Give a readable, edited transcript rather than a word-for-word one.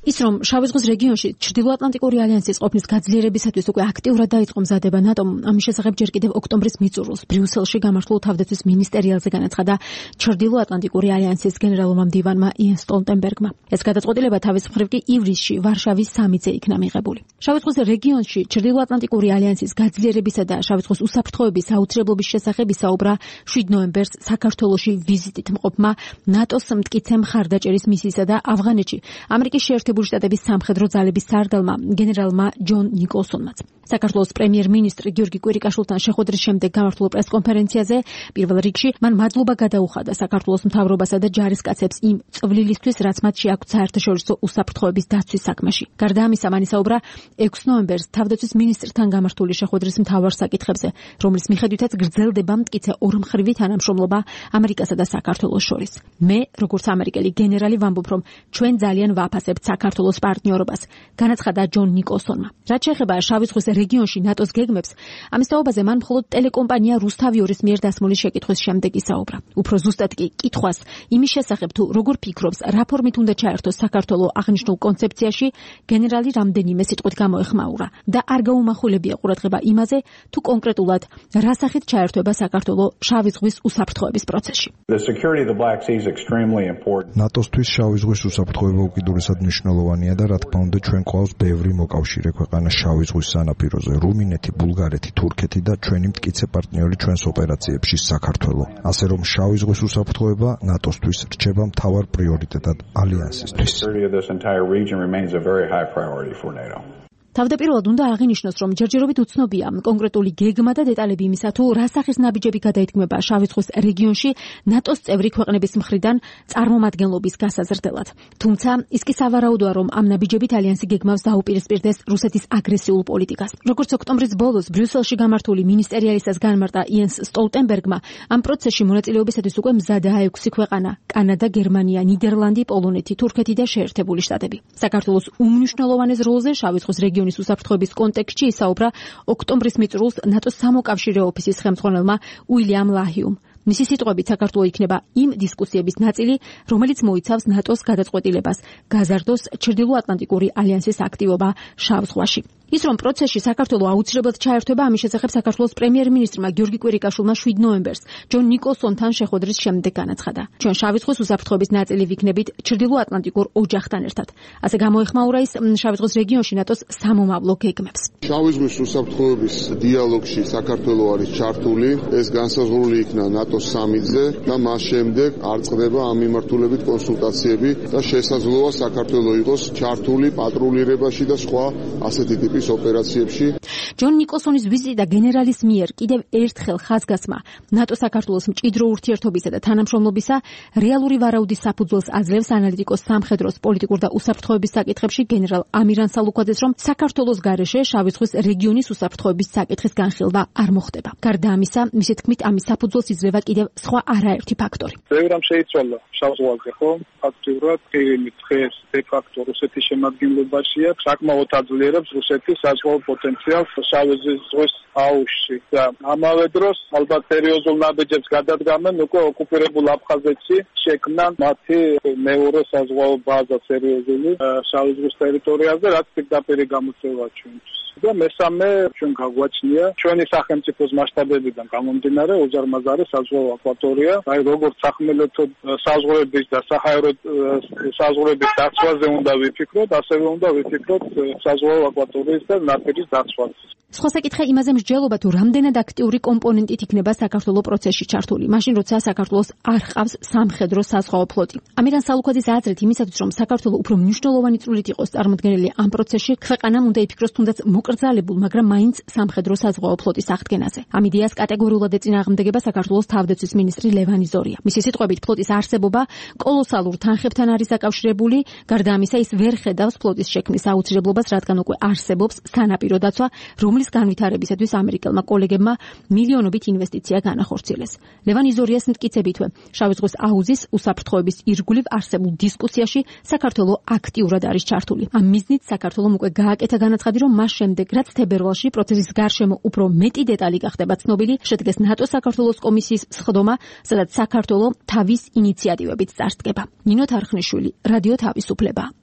ის რომ შავი ზღვის რეგიონში ჩრდილოატლანტიკური ალიანსის ყოფნის გაძლიერებისათვის უკვე აქტიურად დაიწყო მზადება ნატომ, ამის შესახებ ჯერ კიდევ ოქტომბრის მიწურულს ბრიუსელში გამართულ თავდაცვის მინისტერიალზე განაცხადა ჩრდილოატლანტიკური ალიანსის გენერალურმა მდივანმა იენ სტოლტენბერგმა. ეს გადაწყვეტილება თავის მხრივ კი ივლისში ვარშავის სამიტზე იქნა მიღებული. შავი ზღვის რეგიონში ჩრდილოატლანტიკური ალიანსის გაძლიერებისა და შავი ზღვის უსაფრთხოების აუცილებლობის შესახებ ისაუბრა 7 ნოემბერს საქართველოში ვიზიტით მყოფმა ნატოს მტკიცე მხარდაჭერის მისიისა და ავღანეთში ამერიკის შეერთებული შტატების სამხედრო ძალების სარდალმა გენერალმა ჯონ ნიკოლსონმაც. საქართველოს პრემიერ-მინისტრი გიორგი კვირიკაშვილთან შეხვედრის შემდეგ გამართულ პრესკონფერენციაზე პირველ რიგში მან მადლობა გადაუხადა საქართველოს მთავრობასა და ჯარისკაცებს იმ წვლილისთვის, რაც მათ შეაქვთ საერთაშორისო უსაფრთხოების დაცვის საქმეში. გარდა ამისა, მან ისაუბრა 6 ნოემბერს თავდაცვის მინისტრთან გამართული შეხვედრის მთავარ საკითხებზე, რომლის მიხედვითაც გრძელდება მტკიცე ორმხრივი თანამშრომლობა ამერიკასა და საქართველოს შორის. მე, როგორც ამერიკელი გენერალი, ვამბობ, რომ ჩვენ ძალიან ვაფასებთ საქართველოს პარტნიორობას, განაცხადა ჯონ ნიკოლსონმა. რაც შეეხება შავი ზღვის რეგიონში ნატოს გეგმებს, ამის თაობაზე მან მხოლოდ ტელეკომპანია რუსთავიორის მიერ დასმული შეკითხვის შემდეგ ისაუბრა. უფრო ზუსტად კი კითხვას იმის შესახებ, თუ როგორ ფიქრობს, რა ფორმით უნდა ჩაერთოს საქართველო აღნიშნულ კონცეფციაში, გენერალი რამდენიმე სიტყვით გამოეხმაურა და არ გაუმახვილებია ყურადღება იმაზე, თუ კონკრეტულად რა სახით ჩაერთვება საქართველო შავი ზღვის უსაფრთხოების პროცესში. ნატოსთვის შავი ზღვის უსაფრთხოება უკიდურესად მნიშვნელოვანია და რა თქმა უნდა ჩვენ გვყავს ბევრი მოკავშირე ქვეყანა შავი ზღვის სანაპიროზე, რუმინეთი, ბულგარეთი, თურქეთი და ჩვენი მტკიცე პარტნიორი ჩვენს ოპერაციებში საქართველო. ასე რომ შავი ზღვის უსაფრთხოება ნატოსთვის რჩება მთავარ პრიორიტეტად ალიანსისთვის. თავდაპირველად უნდა აღინიშნოს, რომ ჯერჯერობით უცნობია კონკრეტული გეგმა და დეტალები იმისა, თუ რა სახის ნაბიჯები გადაითქმება შავი ზღვის რეგიონში ნატოს წევრი ქვეყნების მხრიდან წარმომადგენლობის გასაზრდელად. თუმცა ის კი სავარაუდოა, რომ ამ ნაბიჯებით ალიანსი გეგმავს დაუპირისპირდეს რუსეთის აგრესიულ პოლიტიკას. როგორც ოქტომბრის ბოლოს ბრიუსელში გამართული მინისტერიალისას განმარტა იენს სტოლტენბერგმა, ამ პროცესში მონაწილეობისათვის უკვე მზადაა 6 ქვეყანა: კანადა, გერმანია, ნიდერლანდი, პოლონეთი, თურქეთი და შეერთებული შტატები. საქართველოს უმნიშვნელოვანეს როლზე შავი ზღვის რეგიონის უსაფრთხოების კონტექსტში ისაუბრა ოქტომბრის მიწურულს ნატოს სამოკავშირე ოფისის ხელმძღვანელმა უილიამ ლაჰიუმ. მისი სიტყვებით საქართველო იქნება იმ დისკუსიების ნაწილი, რომელიც მოიცავს ნატოს გადაწყვეტილებას გაზარდოს ჩრდილოატლანტიკური ალიანსის აქტივობა შავ ზღვაში. ის რომ პროცესში საქართველო აუცილებლად ჩაერთვება, ამის შესახებ საქართველოს პრემიერ-მინისტრმა გიორგი კვირიკაშვილმა 7 ნოემბერს ჯონ ნიკოლსონთან შეხვედრის შემდეგ განაცხადა. ჩვენ შავი ზღვის უსაფრთხოების ნაწილი ვიქნებით ჩრდილოატლანტიკურ ოჯახთან ერთად. ასე გამოეხმაურა ის შავი ზღვის რეგიონში ნატოს სამომავლო გეგმებს. შავი ზღვის უსაფრთხოების დიალოგში საქართველო არის ჩართული, ეს განსაზღვრული იქნა ნატოს სამიტზე და მას შემდეგ არ წყდება ამ მიმართულებით კონსულტაციები და შესაძლოა საქართველო იყოს ჩართული პატრულირებაში და სხვა ასეთი ტიპის ოპერაციებში. ჯონ ნიკოლსონის ვიზიტი და გენერალის მიერ კიდევ ერთხელ ხაზგასმა ნატო-საქართველოს მჭიდრო ურთიერთობისა და თანამშრომლობისა რეალური ვარაუდის საფუძველს აძლევს ანალიტიკოს სამხედროს პოლიტიკურ და უსაფრთხოების საკითხებში გენერალ ამირან სალუქვაძეს, რომ საქართველოს გარეშე შავი ზღვის რეგიონის უსაფრთხოების საკითხის განხილვა არ მოხდება. გარდა ამისა, მისი თქმით, ამის საფუძველს იძლევა კიდევ სხვა არაერთი ფაქტორი. ბევრამ შეიცვალა შავ ზღვაზე, ხო? ფაქტიურად ყირიმი დღეს დე-ფაქტო რუსეთის შემადგენლობაშია, საკმაოდ აძლიერებს რუსეთის საზღვაო პოტენციალს შავი ზღვის აუზში და ამავე დროს ალბათ სერიოზულ ნაბიჯებს გადადგამენ უკვე ოკუპირებულ აფხაზეთში, შექმნან მათი მეორე საზღვაო ბაზა სერიოზული შავი ზღვის ტერიტორიაზე, რაც პირდაპირი გამოწვევა ჩვენთვის. და მესამე ჩვენ გაგვაჩნია ჩვენი სახელმწიფოს მასშტაბებიდან გამომდინარე უზარმაზარი საზღვაო აკვატორია, აი როგორც სახმელეთო საზღვრების და საჰაერო საზღვრების დაცვაზე უნდა ვიფიქროთ, ასევე უნდა ვიფიქროთ საზღვაო აკვატორიის და ნაპირის დაცვაზე. სხვა საკითხი იმაზე მსჯელობა, თუ რამდენად აქტიური კომპონენტით იქნება საქართველოს პროცესში ჩართული, მაშინ როცა საქართველოს არ ჰყავს სამხედრო საზღვაო ფლოტი. ამირან სალუქვაძის აზრით, იმისათვის რომ საქართველოს უფრო მნიშვნელოვანი წვლილით იყოს წარმოდგენილი ამ პროცესში, ქვეყანამ უნდა იფიქროს თუნდაც მოკრძალებულ, მაგრამ მაინც სამხედრო საზღვაო ფლოტის აღდგენაზე. ამ იდეას კატეგორიულად ეწინააღმდეგება საქართველოს თავდაცვის მინისტრი ლევან იზორია. მისი სიტყვებით, ფლოტის არსებობა კოლოსალურ თანხებთან არის დაკავშირებული, გარდა ამისა ის ვერ ხედავს ფლოტის შექმნის აუცილებლობას, რადგან უკვე არსებობს სანაპირო დაცვა, რომლის განვითარებისათვის ამერიკელმა კოლეგებმა მილიონობით ინვესტიცია განახორციელეს. ლევან იზორიას მტკიცებითვე, შავი ზღვის აუზის უსაფრთხოების ირგვლივ არსებულ დისკუსიაში საქართველოს აქტიურად არის ჩართული. ამ მიზნით საქართველოს უკვე გააკეთა განაცხადი, რომ მას შემდეგ, რაც თებერვალში პროცესის გარშემო უფრო მეტი დეტალი გახდება ცნობილი, შედგეს ნატო-საქართველოს კომისიის სხდომა, სადაც საქართველოს თავის ინიციატივებით წარსდგება. ნინო თარხნიშვილი, რადიო თავისუფლება.